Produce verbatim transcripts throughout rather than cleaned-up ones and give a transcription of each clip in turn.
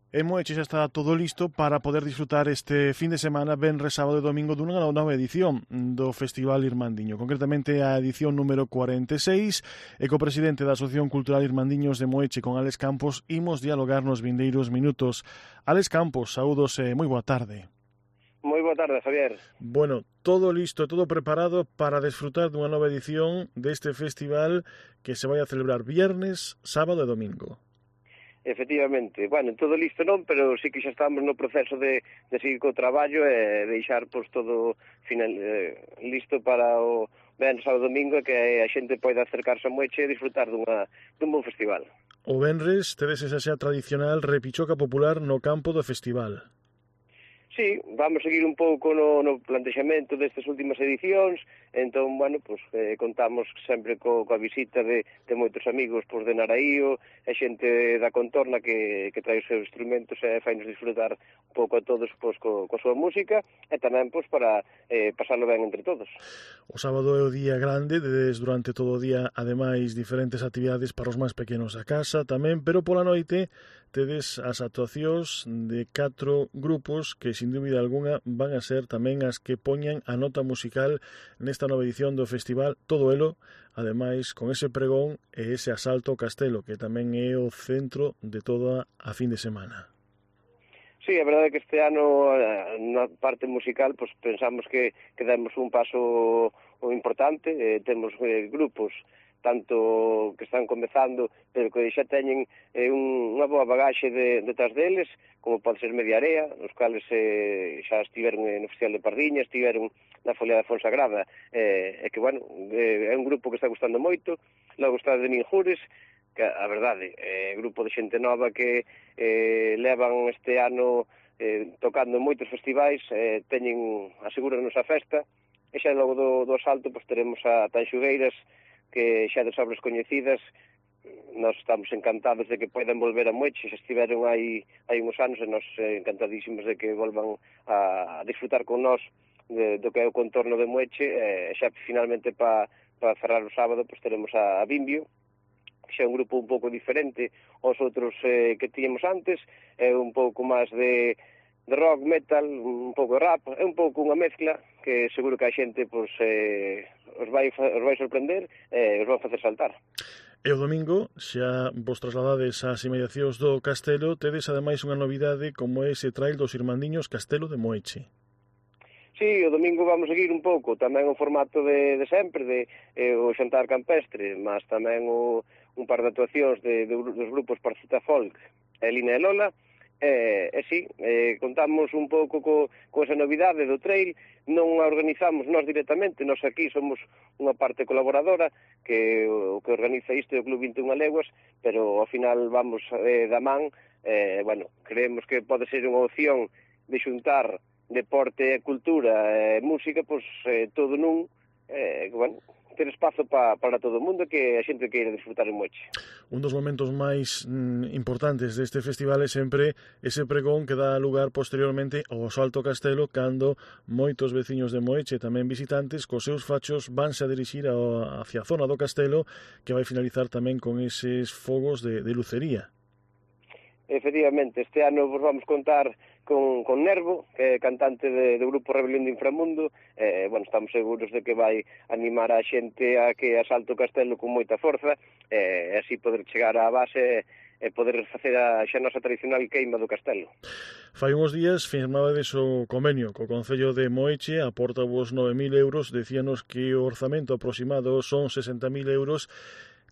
E Moeche xa está todo listo para poder disfrutar este fin de semana, venres, sábado e domingo, dunha nova edición do Festival Irmandiño, concretamente a edición número cuarenta e seis, e co presidente da Asociación Cultural Irmandiños de Moeche, con Alex Campos, imos dialogar nos vindeiros minutos. Alex Campos, saúdos e moi boa tarde. Moi boa tarde, Javier. Bueno, todo listo, todo preparado para desfrutar dunha nova edición deste festival que se vai a celebrar viernes, sábado e domingo. Efectivamente, bueno, todo listo non, pero sí que xa estamos no proceso de, de seguir co traballo e deixar pois, todo final, eh, listo para o venres, sábado e domingo, que a xente poida acercarse a Moeche e disfrutar dunha, dun bon festival. O venres tedes esa xa tradicional repichoca popular no campo do festival. Sí, vamos seguir un pouco no, no plantexamento destas últimas edicións, entón, bueno, pues, eh, contamos sempre co, coa visita de, de moitos amigos pues, de Naraío, e xente da contorna que, que trae os seus instrumentos e fainos disfrutar un pouco a todos pues, co, coa súa música, e tamén pues, para eh, pasarlo ben entre todos. O sábado é o día grande, dedes durante todo o día, ademais, diferentes actividades para os máis pequenos da casa tamén, pero pola noite tedes as actuacións de catro grupos que, sin dúbida alguna, van a ser tamén as que poñan a nota musical nesta nova edición do festival, todo elo, ademais, con ese pregón e ese asalto ao castelo, que tamén é o centro de toda a fin de semana. Sí, a verdade é que este ano, na parte musical, pues, pensamos que, que demos un paso importante, eh, temos eh, grupos tanto que están comezando, pero que xa teñen eh, un, unha boa bagaxe de, detrás deles, como pode ser Mediarea, os cales eh, xa estiveron no Festival de Pardiña, estiveron na Folia da Fonsagrada, eh, e que, bueno, eh, é un grupo que está gustando moito. Logo está de Ninjures, que a verdade, é eh, grupo de xente nova que eh, levan este ano eh, tocando en moitos festivais, eh, teñen, asegúranos a festa, e xa logo do, do asalto pues, teremos a Tanxugueiras, que xa de sobras coñecidas. Nós estamos encantados de que poidan volver a Moeche, xa estiveron hai, hai uns anos e nós eh, encantadísimos de que volvan a, a disfrutar con nós de, do que é o contorno de Moeche, e xa finalmente para pa cerrar o sábado pues, teremos a, a Bimbio, que xa é un grupo un pouco diferente aos outros eh, que tíamos antes, é un pouco máis de de rock, metal, un pouco de rap, é un pouco unha mezcla que seguro que a xente pues, eh, os, vai, os vai sorprender e eh, os vai facer saltar. E o domingo, xa vos trasladades ás inmediacións do castelo, tedes ademais unha novidade como ese trail dos Irmandiños Castelo de Moeche. Sí, o domingo vamos seguir un pouco, tamén o formato de, de sempre, de eh, o xantar campestre, mas tamén o, un par de actuacións de, de, dos grupos Parcita Folk, Elina e Lola. E, e sí, eh, contamos un pouco co, co esa novidade do trail. Non a organizamos nós directamente, nós aquí somos unha parte colaboradora que o que organiza isto é o Club vinte e unha Leguas, pero ao final vamos eh, da man. Eh, bueno, creemos que pode ser unha opción de xuntar deporte e cultura e música, pois eh, todo nun, eh, bueno, ter espazo pa, para todo o mundo que a xente queira disfrutar en Moeche. Un dos momentos máis mm, importantes deste festival é sempre ese pregón que dá lugar posteriormente ao Salto Castelo, cando moitos veciños de Moeche, tamén visitantes, cos seus fachos vanse a dirixir a, hacia a zona do castelo, que vai finalizar tamén con eses fogos de, de lucería. Efectivamente, este ano vos vamos contar con, con Nervo, que é cantante de, do grupo Rebelión de Inframundo. Eh, bueno, estamos seguros de que vai animar a xente a que asalte o castelo con moita forza, e eh, así poder chegar á base e poder facer a xa nosa tradicional queima do castelo. Fai uns días firmabades o convenio co Concello de Moeche, aporta vos nove mil euros, decíanos que o orzamento aproximado son sesenta mil euros,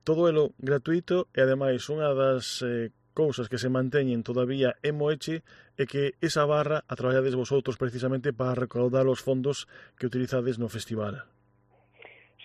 todo elo gratuito, e ademais unha das eh, cousas que se manteñen todavía en Moeche é que esa barra a traballades vosotros precisamente para recaudar os fondos que utilizades no festival.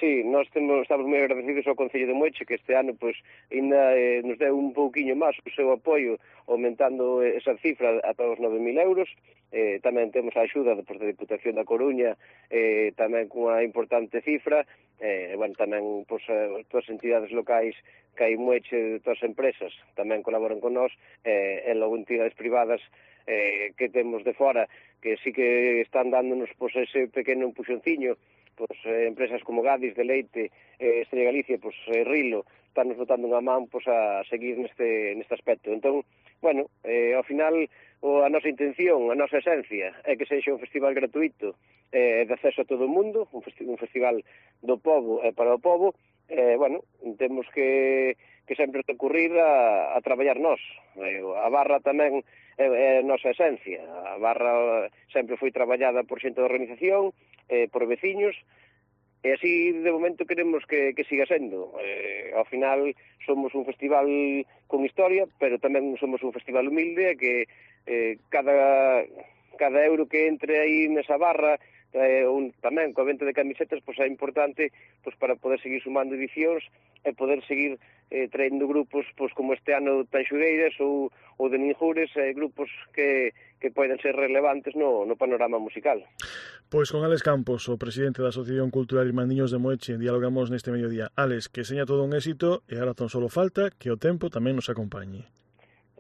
Sí, nós temos, estamos moi agradecidos ao Concello de Moeche, que este ano pues, ainda eh, nos deu un pouquiño máis o seu apoio, aumentando esa cifra ata os nove mil euros. Eh, tamén temos a axuda pues, da Diputación da Coruña, eh, tamén cunha importante cifra. Eh, bueno, tamén pues, todas as entidades locais que hai Moeche, todas as empresas tamén colaboran con nós, eh, e logo entidades privadas eh, que temos de fora, que sí que están dándonos pues, ese pequeno empuxonciño. Pues, eh, empresas como Gadis, Deleite, eh, Estrella Galicia, pues, eh, Rilo, están nos botando unha man pues, a seguir neste, neste aspecto. Entón, bueno, eh, ao final o, a nosa intención, a nosa esencia é que sexa un festival gratuito eh, de acceso a todo o mundo, un, festi un festival do pobo e para o pobo, eh, bueno, temos que, que sempre recurrir a, a traballar nós. Eh, a barra tamén é, é a nosa esencia. A barra sempre foi traballada por xente da organización, eh, por veciños, e así de momento queremos que, que siga sendo. Eh, ao final somos un festival con historia, pero tamén somos un festival humilde, que eh, cada, cada euro que entre aí nesa barra, eh, un, tamén coa venta de camisetas, pois é importante pois, para poder seguir sumando edicións e poder seguir eh, traendo grupos pois, como este ano Tanxugueiras ou, ou de Ninjures, eh, grupos que, que poden ser relevantes no, no panorama musical. Pois con Álex Campos, o presidente da Asociación Cultural Irmandiños de Moeche, dialogamos neste mediodía. Álex, que seña todo un éxito e agora tan solo falta que o tempo tamén nos acompañe.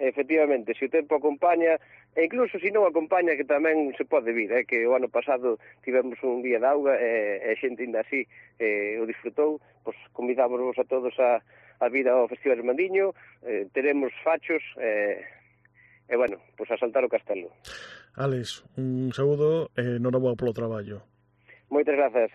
Efectivamente, se o tempo acompaña, e incluso se non acompaña, que tamén se pode vir, eh, que o ano pasado tivemos un día de auga e, e xente ainda así eh, o disfrutou, pois convidámonos a todos a, a vir ao Festival Irmandiño, eh, teremos fachos, eh, e bueno, pois a saltar o castelo. Álex, un saúdo e enhoraboa polo traballo. Moitas grazas.